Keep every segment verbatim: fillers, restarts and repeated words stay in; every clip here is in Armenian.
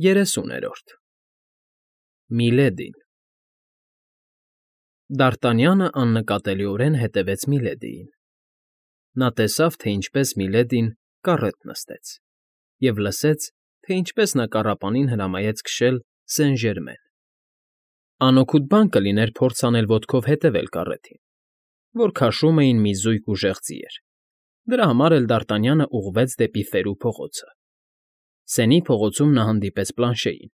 Երեսուներորդ Միլեդին Դ'Արտանյանը աննկատելիորեն հետևեց Միլեդիին. նա տեսավ, թե ինչպես Միլեդին կառետ նստեց, և լսեց, թե ինչպես նա կառապանին հրամայեց քշել Սեն֊Ժերմեն. անօգուտ բան կլիներ փորձ անել ոտքով հետևել կառետին, որ քաշում էին մի զույգ ուժեղ ձիեր, դրա համար էլ Դ'Արտանյանը ուղղվեց դեպի Ֆերու փողոցը. Սենի փողոցում նա հանդիպեց Պլանշեին,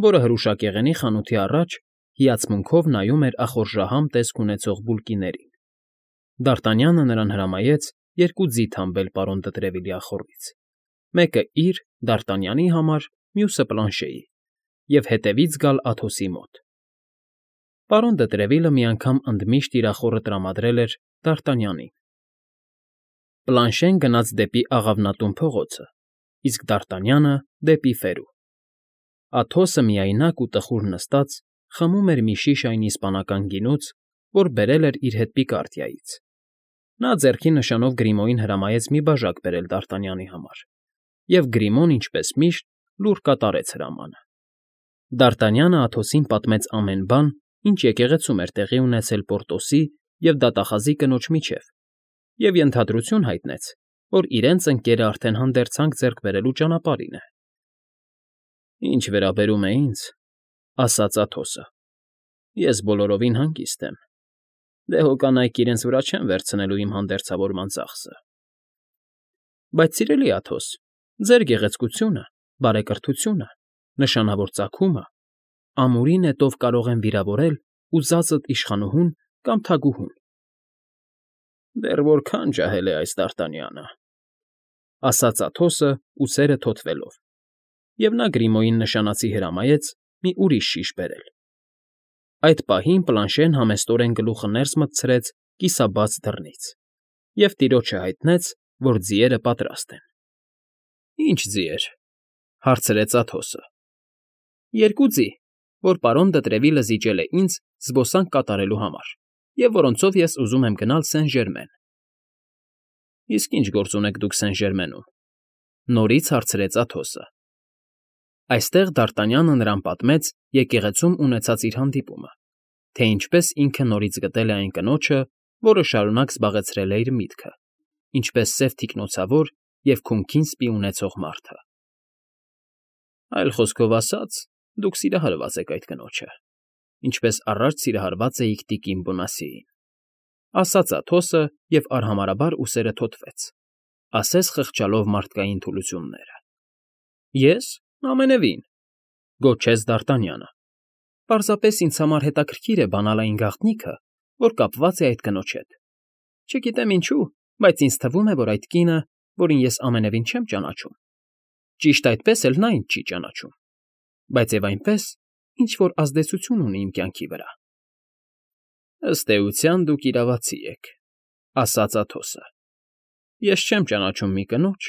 որը հրուշակեղենի խանութի առաջ հիացմունքով նայում էր ախորժահամ տեսք ունեցող բուլկիներին. Դ'Արտանյանը նրան հրամայեց երկու ձի թամբել պարոն Դտրևիլի ախոռից, մեկը իր՝ Դ'Արտանյանի համար, մյուսը Պլանշեի, և հետևից գալ Աթոսի մոտ. պարոն Դտրևիլը մի անգամ ընդմիշտ իր ախոռը տրամադրել էր Դ'Արտանյանին։ Պլանշեն գնաց դեպի Աղավնատուն փողոցը, իսկ Դ'Արտանյանը՝ դեպի Ֆերու. Աթոսը միայնակ ու տխուր նստած խմում էր մի շիշ այն իսպանական գինուց, որ բերել էր իր հետ Պիկարդիայից. նա ձեռքի նշանով Գրիմոյին հրամայեց մի բաժակ բերել Դ'Արտանյանի համար, և Գրիմոն, ինչպես միշտ, լուռ կատարեց հրամանը։ Դ'Արտանյանը Աթոսին պատմեց ամեն բան, ինչ եկեղեցում էր տեղի ունեցել Պորտոսի և դատախազի կնոջ միջև, և ենթադրություն հայտնեց, որ իրենց ընկերը արդեն հանդերձանք ձեռք բերելու ճանապարհին է։ «Ինչ վերաբերում է ինձ,֊ ասաց Աթոսը,֊ ես բոլորովին հանգիստ եմ, դե հո կանայք իրենց վրա չեն վերցնելու իմ հանդերձավորման ծախսը»։ «Բայց, սիրելի Աթոս, ձեր գեղեցկությունը, բարեկրթությունը, նշանավոր ծագումը ամուրի նետով կարող են վիրավորել ուզածդ իշխանուհուն կամ թագուհուն»։ «Դեռ որքա՜ն ջահել է այս Դ'Արտանյանը,֊ ասաց Աթոսը ուսերը թոթվելով, և նա Գրիմոյին նշանածի հրամայեց մի ուրիշ շիշ բերել։ Այդ պահին Պլանշեն համեստորեն գլուխը ներս մտցրեց կիսաբաց դռնից և տիրոջը հայտնեց, որ ձիերը պատրաստ են։ «Ի՞նչ ձիեր,֊ հարցրեց Աթոսը։ «Երկու ձի, որ պարոն Դտրևիլը զիջել է ինձ զբոսանք կատարելու համար և որոնցով ես ուզում եմ գնալ Սեն֊Ժերմեն»։ «Իսկ ի՞նչ գործ ունեք դուք Սեն֊Ժերմենում,֊ նորից հարցրեց Աթոսը։ Այստեղ Դ'Արտանյանը նրան պատմեց եկեղեցում ունեցած իր հանդիպումը, թե ինչպես ինքը նորից գտել է այն կնոջը, որը շարունակ զբաղեցրել է իր միտքը, ինչպես սև թիկնոցավոր և քունքին սպի ունեցող մարդը։ «Այլ խոսքով ասած, դուք սիրահարված եք այդ կնոջը, ինչպես առաջ սիրահարված էիք տիկին Բոնասիեին», ասաց Աթոսը և արհամարհաբար ուսերը թոթվեց, ասես խղճալով մարդկային թուլությունները։ «Ե՞ս, ամենևին,֊ գոչեց Դ'Արտանյանը,֊ պարզապես ինձ համար հետաքրքիր է բանալ այն գաղտնիքը, որ կապված է այդ կնոջ հետ։ Չգիտեմ ինչու, բայց ինձ թվում է, որ այդ կինը, որին ես ամենևին չեմ ճանաչում, ճիշտ այդպես էլ նա ինձ չի ճանաչում, բայց և այնպես, ինչ֊որ ազդեցություն ունի իմ կյանքի վրա»։ «Ըստ էության դուք իրավացի եք,֊ ասաց Աթոսը։ Ես չեմ ճանաչում մի կնոջ,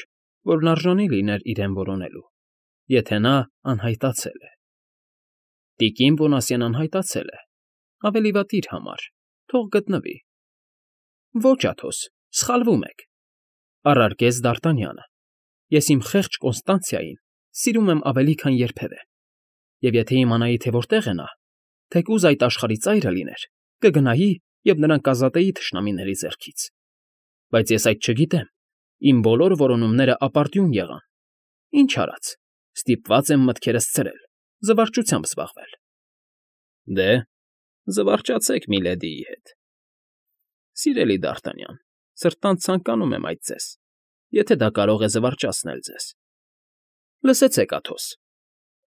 որն արժանի լիներ իրեն որոնելու, եթե նա անհայտացել է։ Տիկին Բոնասիեն անհայտացել է, ավելի վատ իր համար, թող գտնվի»։ «Ոչ, Աթոս, սխալվում եք,֊ առարկեց Դ'Արտանյանը,֊ ես իմ խեղճ Կոնստանցիային սիրում եմ ավելի, քան երբևէ, և եթե իմանայի, թե որտեղ է նա, թեկուզ այդ աշխարհի ծայրը լիներ, կգնայի և նրան կազատեի թշնամիների ձեռքից։ Բայց ես այդ չգիտեմ, իմ բոլոր որոնումները ապարդյուն եղան, ինչ արած, ստիպված եմ մտքերս ցրել, զվարճությամբ զբաղվել»։ «Դե, զվարճացեք Միլեդիի հետ»։ «Սիրելի Դ'Արտանյան, սրտանց ցանկանում եմ այդ ձեզ, եթե դա կարող է զվարճացնել ձեզ»։ «Լսեցեք, Աթոս,֊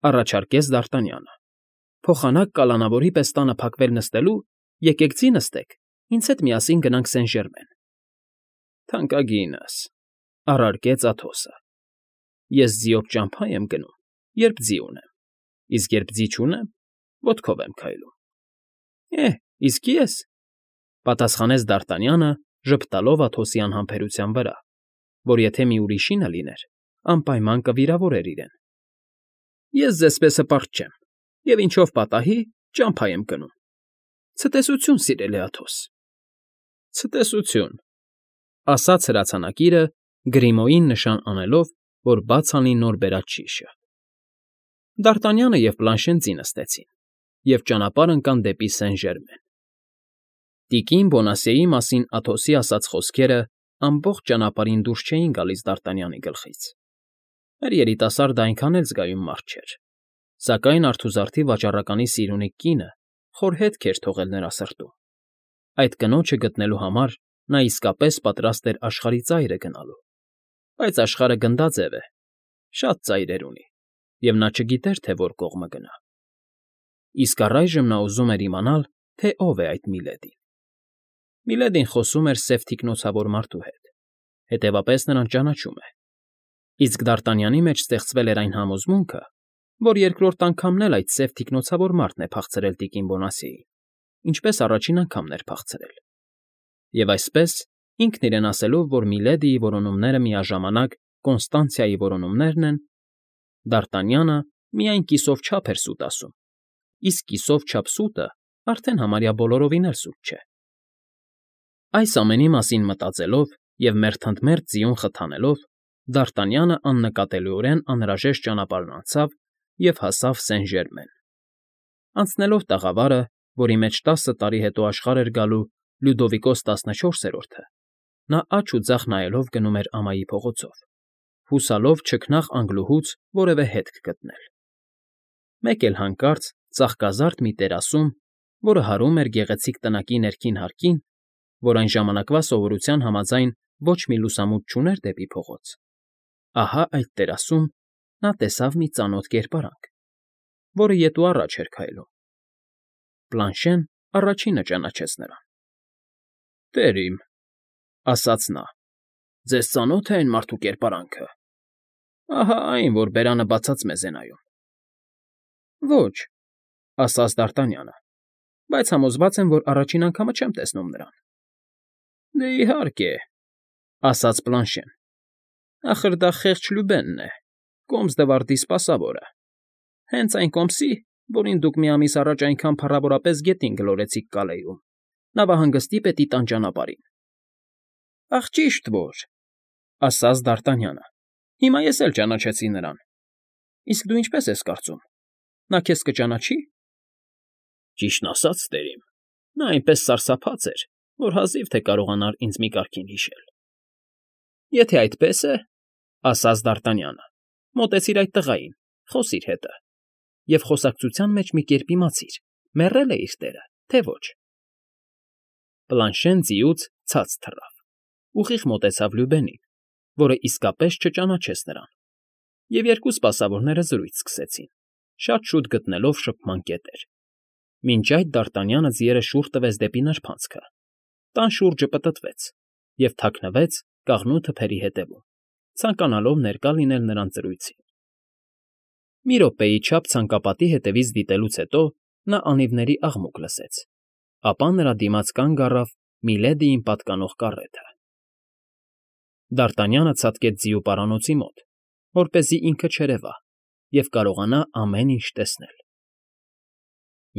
առաջարկեց Դ'Արտանյանը,֊ փոխանակ կալանավորի պես տանը փակվել նստելու, եկեք ձի նստեք, ինձ հետ միասին գնանք Սեն֊Ժերմեն»։ «Թանկագինս,֊ առարկեց Աթոսը,֊ ես ձիով ճամփա եմ գնում, երբ ձի ունեմ, իսկ երբ ձի չունեմ, ոտքով եմ քայլում»։ «Է՜, իսկ ես,֊ պատասխանեց Դ'Արտանյանը, ժպտալով Աթոսի անհամբերության վրա, որ եթե մի ուրիշինը լիներ, անպայման կվիրավորեր իրեն,֊ ես ձեզպես հպարտ չեմ և ինչով պատահի, ճամփա եմ գնում։ Ցտեսություն, սիրելի Աթոս»։ «Ցտեսություն,֊ ասաց հրացանակիրը, Գրիմոյին նշան անելով, որ բաց անի նոր բերած շիշը։ Դարտանյանը և Պլանշեն ձի նստեցին և ճանապարհ ընկան դեպի Սեն֊Ժերմեն։ Տիկին Բոնասիեի մասին Աթոսի ասած խոսքերը ամբողջ ճանապարհին դուրս չէին գալիս Դարտանյանի գլխից։ Մեր երիտասարդը այնքան էլ զգայուն մարդ չէր, սակայն արթուզարդի վաճառականի սիրունիկ կինը խոր հետք էր թողել նրա սրտում։ Այդ կնոջը գտնելու համար նա իսկապես պատրաստ էր աշխարհի ծայրը գնալու։ Բայց աշխարհը գնդաձև է, շատ ծայրեր ունի, և նա չգիտեր, թե որ կողմը գնա։ Իսկ առայժմ նա ուզում էր իմանալ, թե ով է այդ Միլեդին։ Միլեդին խոսում էր սև թիկնոցավոր մարդու հետ, հետևապես նրան ճանաչում է։ Իսկ Դարտանյանի մեջ ստեղծվել էր այն համոզմունքը, որ երկրորդ անգամն էլ այդ սև թիկնոցավոր մարդն է փախցրել տիկին Բոնասիեին, ինչպես առաջին անգամն էր փախցրել։ Եվ այսպես, ինքն իրեն ասելով, որ Միլեդիի որոնումները միաժամանակ Կոնստանցիայի որոնումներն են, Դարտանյանը միայն կիսով չափ էր սուտ ասում, իսկ կիսով չափ սուտը արդեն համարյա բոլորովին էլ սուտ չէ։ Այս ամենի մասին մտածելով և մերթընդմերթ ձիուն խթանելով, Դարտանյանը աննկատելիորեն անհրաժեշտ ճանապարհն անցավ և հասավ Սեն֊Ժերմեն։ Անցնելով տաղավարը, որի մեջ տասը տարի հետո աշխարհ էր գալու Լյուդովիկոս տասնչորսերորդը, նա աջ ու ձախ նայելով գնում էր ամայի փողոցով, հուսալով չքնաղ անգլուհուց որևէ հետք գտնել։ Մեկ էլ հանկարծ ծաղկազարդ մի տերասում, որը հարում էր գեղեցիկ տնակի ներքին հարկին, որ այն ժամանակվա սովորության համաձայն ոչ մի լուսամուտ չուներ դեպի փողոց, ահա այդ տերասում նա տեսավ մի ծանոթ կերպարանք, որը ետ ու առաջ էր քայլում։ Պլանշեն առաջինը ճանաչեց նրան։ ֊ Տեր իմ,֊ ասաց նա,֊ ձեզ ծանո՞թ է այն մարդու կերպարանքը։ Ահա այն, որ բերանը բացած մեզ է նայում։ ֊ Ոչ,֊ ասաց Դարտանյանը,֊ բայց համոզված եմ, որ առաջին անգամը չեմ տեսնում նրան։ ֊ Դե, իհարկե,֊ ասաց Պլանշեն,֊ ախր դա խեղճ Լյուբենն է, Կոմս֊դվարդի սպասավորը, հենց այն կոմսի, որին դուք մի ամիս առաջ այնքան փառավորապես գետին գլորեցիք Կալեյում, նավահանգստի պետի տան ճանապարհին։ ֊ Ախ, ճիշտ որ,֊ ասաց Դարտանյանը,֊ հիմա ես էլ ճանաչեցի նրան։ Իսկ դու ինչպես ես կարծում, նա քեզ կճանաչի՞։ ֊ Ճիշտն ասած, տեր իմ, նա այնպես սարսափած էր, որ հազիվ թե կարողանար ինձ մի կարգին հիշել։ ֊ Եթե այդպես է,֊ ասաց Դարտանյանը,֊ մոտեցիր այդ տղային, խոսիր հետը, և խոսակցության մեջ մի կերպ իմացիր՝ մեռե՞լ է իր տերը, թե ոչ։ Պլանշեն ձիուց ցած թռավ, ուղիղ մոտեցավ Լյուբենին, որը իսկապես չճանաչեց նրան, և երկու սպասավորները զրույց սկսեցին, շատ շուտ գտնելով շփման կետեր։ Մինչ այդ Դարտանյանը ձիերը շուռ տվեց դեպի նրբանցքը, տան շուրջը պտտվեց և թաքնվեց կաղնու թփերի ետևում, ցանկանալով ներկա լինել նրանց զրույցին։ Մի րոպեի չափ ցանկապատի հետևից դիտելուց հետո նա անիվների աղմուկ լսեց, ապա նրա դիմաց կանգ առավ Միլեդիին պատկանող կառեթը։ Դարտանյանը ցատկեց ձիու պարանոցի մոտ, որպեսզի ինքը չերևա և կարողանա ամեն ինչ տեսնել։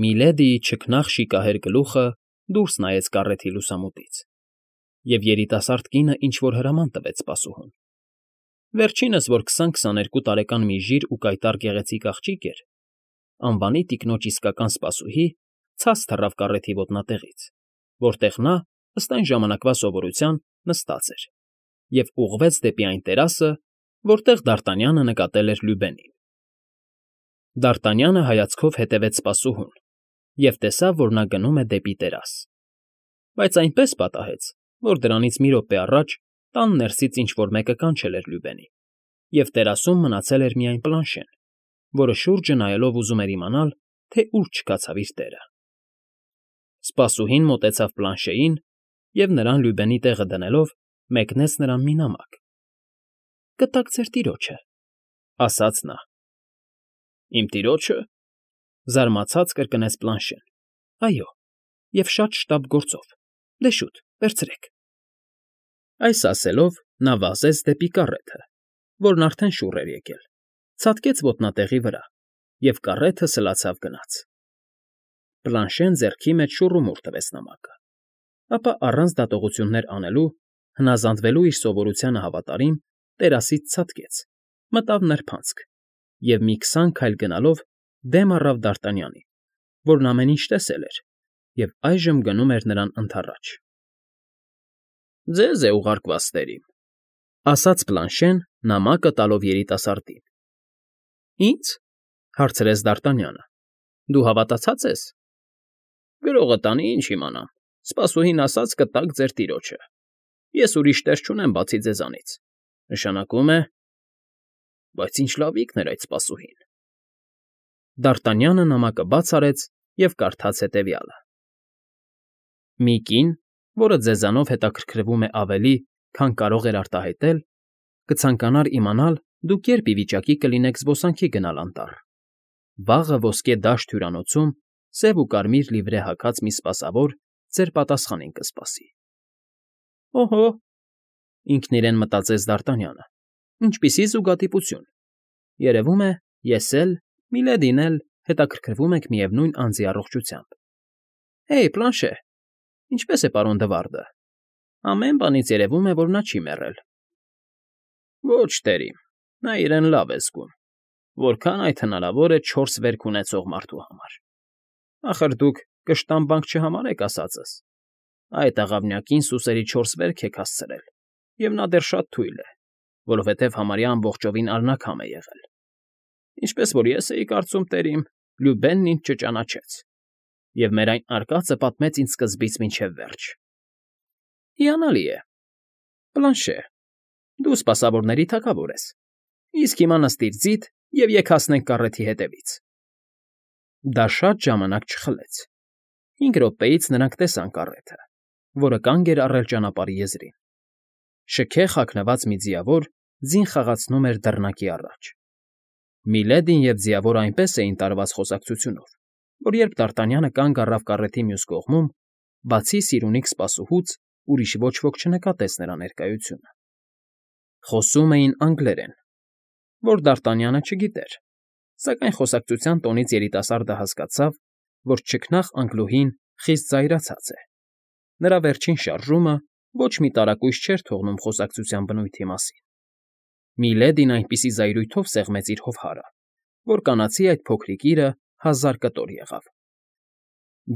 Միլեդիի չքնաղ շիկահեր գլուխը դուրս նայեց կառեթի լուսամուտից, և երիտասարդ կինը ինչ֊որ հրաման տվեց սպասուհուն։ Վերջինս, որ քսան֊քսաներկու տարեկան մի ժիր ու կայտառ գեղեցիկ աղջիկ էր, անվանի տիկնոջ իսկական սպասուհի, ցած թռավ կառեթի ոտնատեղից, որտեղ նա, ըստ այն ժամանակվա սովորության, նստած էր, և ուղղվեց դեպի այն տերասը, որտեղ Դարտանյանը նկատել էր Լյուբենին։ Դարտանյանը հայացքով հետևեց սպասուհուն և տեսավ, որ նա գնում է դեպի տերաս, բայց այնպես պատահեց, որ դրանից մի րոպե առաջ տան ներսից ինչ֊որ մեկը կանչել էր Լյուբենին, և տերասում մնացել էր միայն Պլանշեն, որը շուրջը նայելով ուզում էր իմանալ, թե ուր չքացավ իր տերը։ Սպասուհին մոտեցավ Պլանշեին և, նրան Լյուբենի տեղը դնելով, մեկնեց նրան մի նամակ։ ֊ Կտակ ձեր տիրոջը,֊ ասաց նա։ ֊ Իմ տիրոջը,֊ զարմացած կրկնեց Պլանշեն։ ֊ Այո, և շատ շտապ գործով, դե շուտ, վերցրեք։ Այս ասելով նա վազեց դեպի կառեթը, որն արդեն շուռ էր եկել, ցատկեց ոտնատեղի վրա, և կառեթը սլացավ գնաց։ Պլանշեն ձեռքի մեջ շուռումուռ տվեց նամակը, ապա առանց դատողություններ անելու, հնազանդվելու իր սովորությանը հավատարիմ, տերասից ցատկեց, մտավ նրբանցք և մի քսան քայլ գնալով դեմ առավ Դարտանյանին, որն ամեն ինչ տեսել էր և այժմ գնում էր նրան ընդառաջ։ ֊ Ձեզ է ուղարկված, տերիմ, ֊ ասաց Պլանշեն, նամակը տալով երիտասարդին։ ֊ Ի՞նձ,֊ հարցրեց Դարտանյանը։֊ Դու հավատացած ես։ ֊ Գրողը տանի, ինչ իմանամ, սպասուհին ասաց կտաք ձեր տիրոջը։ Ես ուրիշ տեր չունեմ, բացի ձեզանից, նշանակում է… Բայց ինչ լավիկն էր այդ սպասուհին… Դարտանյանը նամակը բաց արեց և կարդաց հետևյալը. «Մի կին, որը ձեզանով հետաքրքրվում է ավելի, քան կարող էր արտահայտել, կցանկանար իմանալ՝ դուք երբ ի վիճակի կլինեք զբոսանքի գնալ անտառ։ Վաղը ոսկե դաշտ հյուրանոցում սև ու կարմիր լիվրե հագած մի սպասավոր ձեր պատասխանին կսպասի»։ «Օհո,֊ ինքն իրեն մտածեց Դարտանյանը,֊ ինչպիսի զուգադիպություն… Երևում է, ես էլ, Միլեդին էլ հետաքրքրվում ենք միևնույն անձի առողջությամբ… Հեյ, Պլանշե, ինչպե՞ս է պարոն Դվարդը… Ամեն բանից երևում է, որ նա չի մեռել։ ֊ Ոչ, տերիմ, նա իրեն լավ է զգում, որքան այդ հնարավոր է չորս վերք ունեցող մարդու համար… Ախր դուք կշտամբանք չհամարեք ասածս… Այդ աղավնյակին սուսերի չորս վերք եք հասցրել, և նա դեռ շատ թույլ է, որովհետև համարյա ամբողջովին աննաքամ է եղել… Ինչպես որ ես էի կարծում, տերիմ, Լյուբենն ինձ չճանաչեց, և մեր այն արկածը պատմեց ինձ սկզբից մինչև վերջ… Հիանալի է… Պլանշե, դու սպասավորների թագավոր ես, իսկ հիմա նստիր ձիդ և եկ հասնենք կառեթի հետևից… Դա շատ ժամանակ չխլեց. հինգ րոպեից նրանք տեսան կառեթը, որը կանգ էր առել ճանապարհի եզրին… Շքեղ հագնված մի ձիավոր ձին խաղացնում էր դռնակի առաջ… Միլեդին և ձիավորը այնպես էին տարված խոսակցությունով, որ երբ Դարտանյանը կանգ առավ կառեթի մյուս կողմում, բացի սիրունիկ սպասուհուց ուրիշ ոչ ոք չնկատեց նրա ներկայությունը… Խոսում էին անգլերեն, որ Դարտանյանը չգիտեր, սակայն խոսակցության տոնից երիտասարդը հասկացավ, որ չքնաղ անգլուհին խիստ զայրացած է… Նրա վերջին շարժումը ոչ մի տարակույս չէր թողնում խոսակցության բնույթի մասին… Միլեդին այնպիսի զայրույթով սեղմեց իր հովհարը, որ կանացի այդ փոքրիկ իրը հազար կտոր եղավ…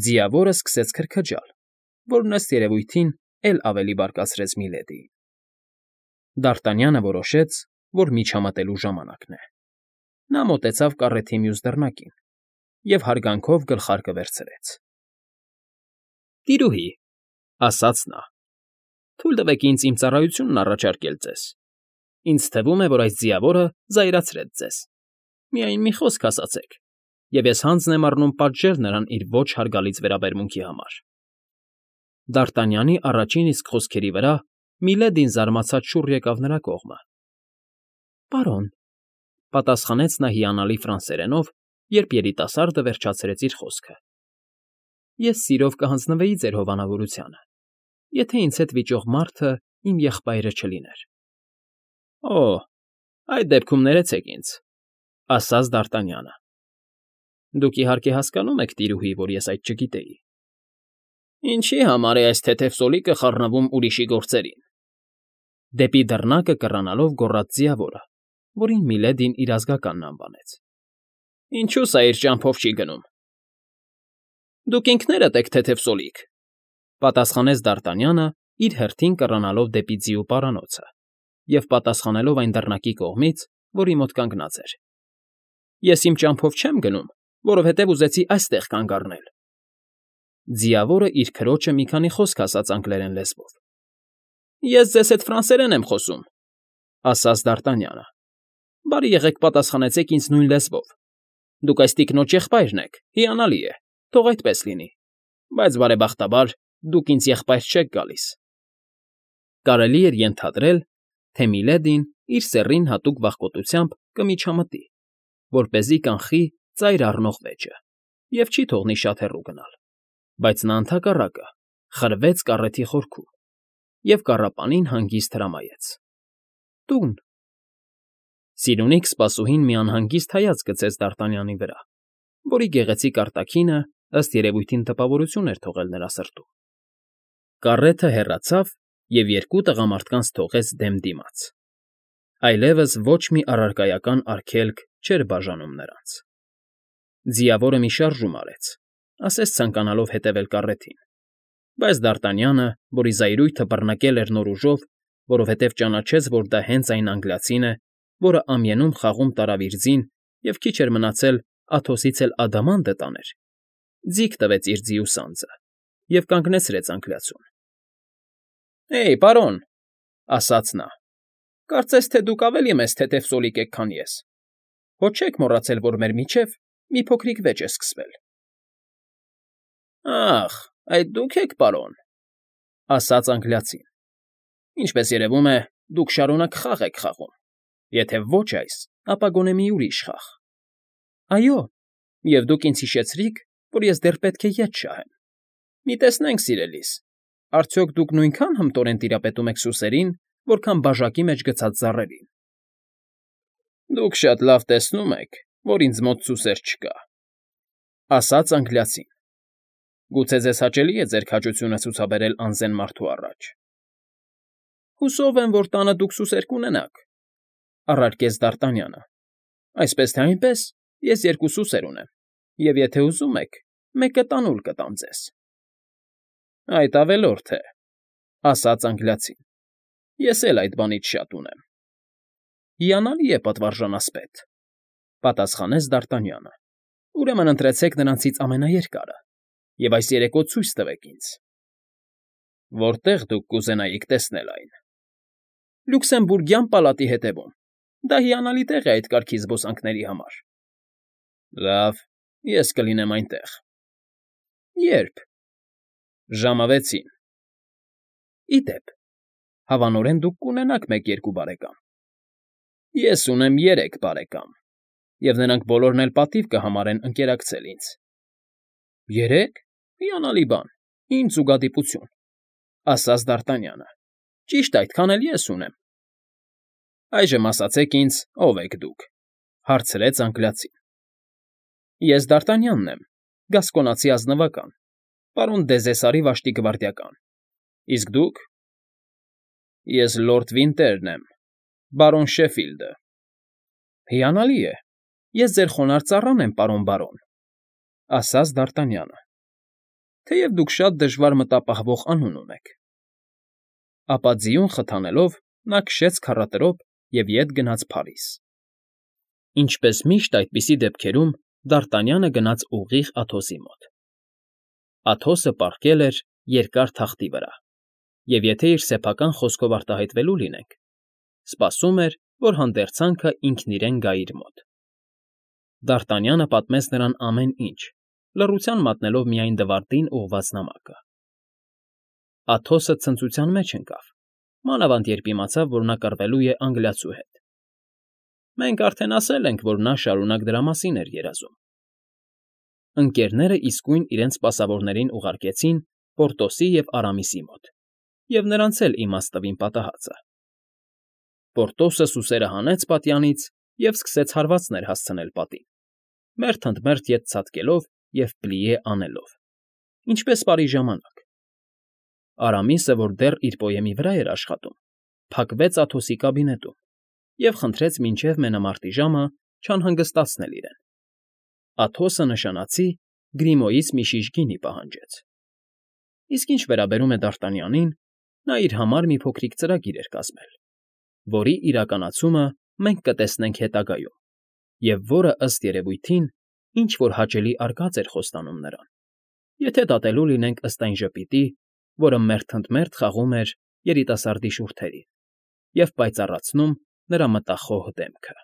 Ձիավորը սկսեց քրքջալ, որն ըստ երևույթին էլ ավելի բարկացրեց Միլեդիին… Դարտանյանը որոշեց, որ միջամտելու ժամանակն է… Նա մոտեցավ կառեթի մյուս դռնակին և հարգանքով գլխարկը վերցրեց։ ֊ Տիրուհի,֊ ասաց նա,֊ թույլ տվեք ինձ իմ ծառայությունն առաջարկել ձեզ… Ինձ թվում է, որ այս ձիավորը զայրացրեց ձեզ… Միայն մի խոսք ասացեք, և ես հանձն եմ առնում պատժել նրան իր ոչ հարգալից վերաբերմունքի համար… Դարտանյանի առաջին իսկ խոսքերի վրա Միլեդին զարմացած շուռ եկավ նրա կողմը։ ֊ Պարոն,֊ պատասխանեց նա հիանալի ֆրանսերենով, երբ երիտասարդը վերջացրեց իր խոսքը,֊ ես սիրով կհանձնվեի ձեր հովանավորությանը, եթե ինձ հետ վիճող մարդը իմ եղբայրը չլիներ։ ֊ Օ՜, այդ դեպքում ներեցեք ինձ,֊ ասաց Դարտանյանը։ ֊ Դուք, իհարկե, հասկանում եք, տիրուհի, որ ես այդ չգիտեի… Ինչի՞ համար է այս թեթև սոլիկը խառնվում ուրիշի գործերին,֊ դեպի դռնակը կռանալով գոռաց ձիավորը, որին Միլեդին իր ազգականն անվանեց։ ֊ Ինչո՞ւ սա իր ճամփով չի գնում։ ֊ Դուք ինքներդ եք թեթև սոլիկ,֊ պատասխանեց Դարտանյանը, իր հերթին կռանալով դեպի ձիու պարանոցը և պատասխանելով այն դռնակի կողմից, որի մոտ կանգնած էր։ ֊ Ես իմ ճամփով չեմ գնում, որովհետև ուզեցի այստեղ կանգ առնել… Ձիավորը իր քրոջը մի քանի խոսք ասաց անգլերեն լեզվով։ ֊ Ես ձեզ հետ ֆրանսերեն եմ խոսում,֊ ասաց Դարտանյանը։ ֊ Բարի եղեք պատասխանեցեք ինձ նույն լեզվով… Դուք այս տիկնոջ եղբայրն եք, հիանալի է, թող այդպես լինի, բայց, բարեբախտաբար, դուք ինձ եղբայր չեք գալիս… Կարելի էր ենթադրել, թե Միլեդին իր սեռին հատուկ վախկոտությամբ կմիջամտի, որպեսզի կանխի ծայր առնող վեճը և չի թողնի շատ հեռու գնալ, բայց նա ընդհակառակը խրվեց կառեթի խորքում և կառապանին հանգիստ հրամայեց. «Տուն»։ Սիրունիկ սպասուհին մի անհանգիստ հայացք գցեց Դարտանյանի վրա, որի գեղեցիկ արտաքինը, ըստ երևույթին, տպավորություն էր թողել նրա սրտում։ Կառեթը հեռացավ և երկու տղամարդկանց թողեց դեմ դիմաց… Այլևս ոչ մի առարկայական արգելք չէր բաժանում նրանց։ Ձիավորը մի շարժում արեց, ասես ցանկանալով հետևել կառեթին, բայց Դարտանյանը, որի զայրույթը բռնկել էր նոր ուժով, որովհետև ճանաչեց, որ դա հենց այն անգլիացին է, որը ամյանում խաղում տարավ իր ձին և քիչ էր մնացել Աթոսից էլ ադամանդը տաներ, ձիգ տվեց իր ձիու սանձը և կանգնեցրեց անգլիացուն։ ֊ Հեյ, պարոն,֊ ասաց նա,֊ կարծես թե դուք ավելի մեծ թեթև սոլիկ եք, քան ես. հո չեք մոռացել, որ մեր միջև մի փոքրիկ վեճ է սկսվել։ ֊ Ա՜խ, այդ դուք եք, պարոն,֊ ասաց անգլիացին։ Ինչպես երևում է, դուք շարունակ խաղ եք խաղում, եթե ոչ այս, ապա գոնե մի ուրիշ խաղ։ ֊ Այո, և դուք ինձ հիշեցրիք, որ ես դեռ պետք է ետ շահեմ։ Մի տեսնենք, սիրելիս, արդյոք դուք նույնքա՞ն հմտորեն տիրապետում եք սուսերին, որքան բաժակի մեջ գցած ծառերին։ ֊ Դուք շատ լավ տեսնում եք, որ ինձ մոտ սուսեր չկա,֊ ասաց անգլիացին։ Գուցե ձեզ հաճելի է ձեր քաջությունը ցուցաբերել անզեն մարդու առաջ։ ֊ Հուսով եմ, որ տանը դուք սուսեր կունենաք,֊ առարկեց Դարտանյանը։ Այսպես թե այնպես, ես երկու սուսեր ունեմ, և եթե ուզում եք, մեկը տանուլ կտամ ձեզ։ ֊ Այդ ավելորդ է,֊ ասաց անգլիացին։ Ես էլ այդ բանից շատ ունեմ։ ֊ Հիանալի է, պատվարժան ասպետ,֊ պատասխանեց Դարտանյանը։ Ուրեմն ընտրեցեք նրանցից ամենաերկարը և այս երեկո ցույց տվեք ինձ։ ֊ Որտե՞ղ դուք կուզենայիք տեսնել այն։ ֊ Լյուքսեմբուրգյան պալատի հետևում։ Դա հիանալի տեղ է այդ կարգի զբոսանքների համար։ ֊ Լավ, ես կլինեմ այնտեղ։ ֊ Ե՞րբ։ ֊ Ժամը վեցին։ ֊ Ի դեպ, հավանորեն դուք կունենաք մեկ֊երկու բարեկամ։ ֊ Ես ունեմ երեք բարեկամ, և նրանք բոլորն էլ պատիվ կհամարեն ընկերակցել ինձ։ ֊ Երեք… Հիանալի բան, ինձ ուգադիպություն,֊ ասաց Դարտանյանը։ Ճիշտ այդքան էլ ես ունեմ։ ֊ Այժմ ասացեք ինձ, ով եք դուք,֊ հարցրեց անգլիացին։ ֊ Ես Դարտանյանն եմ, գասկոնացի ազնվական, պարոն Դեզեսարի վաշտի գվարդիական։ Իսկ դուք։ ֊ Ես լորդ Վինտերն եմ, բարոն Շեֆիլդը։ ֊ Հիանալի է, ես ձեր խոնարհ ծառան եմ, պարոն բարոն,֊ ասաց Դարտանյանը, թեև դուք շատ դժվար մտապահվող անուն ունեք։ Ապա ձիուն խթանելով՝ նա քշեց քառատրոփ և ետ գնաց Փարիզ։ Ինչպես միշտ այդպիսի դեպքերում Դարտանյանը գնաց ուղիղ Աթոսի մոտ։ Աթոսը պառկել էր երկար թախտի վրա և, եթե իր սեփական խոսքով արտահայտվելու լինենք, սպասում էր, որ հանդերձանքը ինքն իրեն գա իր մոտ։ Դարտանյանը պատմեց նրան ամեն ինչ, լռության մատնելով միայն դվարդին ուղղված նամակը։ Աթոսը ցնծության մեջ ընկավ, մանավանդ երբ իմացավ, որ նա կռվելու է անգլիացու հետ։ Մենք արդեն ասել ենք, որ նա շարունակ դրա մասին էր երազում։ Ընկերները իսկույն իրենց սպասավորներին ուղարկեցին Պորտոսի և Արամիսի մոտ, և նրանց էլ իմաց տվին պատահածը։ Պորտոսը սուսերը հանեց պատյանից և սկսեց հարվածներ հասցնել պատին, մերթ ընդ մերթ ետ ցատկելով և պլիե անելով, ինչպես պարի ժամանակ։ Արամիսը, որ դեռ իր պոեմի վրա էր աշխատում, փակվեց Աթոսի կաբինետում և խնդրեց մինչև մենամարտի ժամը չանհանգստացնել իրեն։ Աթոսը նշանացի Գրիմոյից մի շիշ գինի պահանջեց։ Իսկ ինչ վերաբերում է Դարտանյանին, նա իր համար մի փոքրիկ ծրագիր էր կազմել, որի իրականացումը մենք կտեսնենք հետագայում, և որը, ըստ երևույթին, ինչ֊որ հաճելի արկած էր խոստանում նրան, եթե դատելու լինենք ըստ այն ժպիտի, որը մերթ ընդ մերթ խաղում էր երիտասարդի շուրթերին և պայծառացնում նրա մտախոհ դեմքը։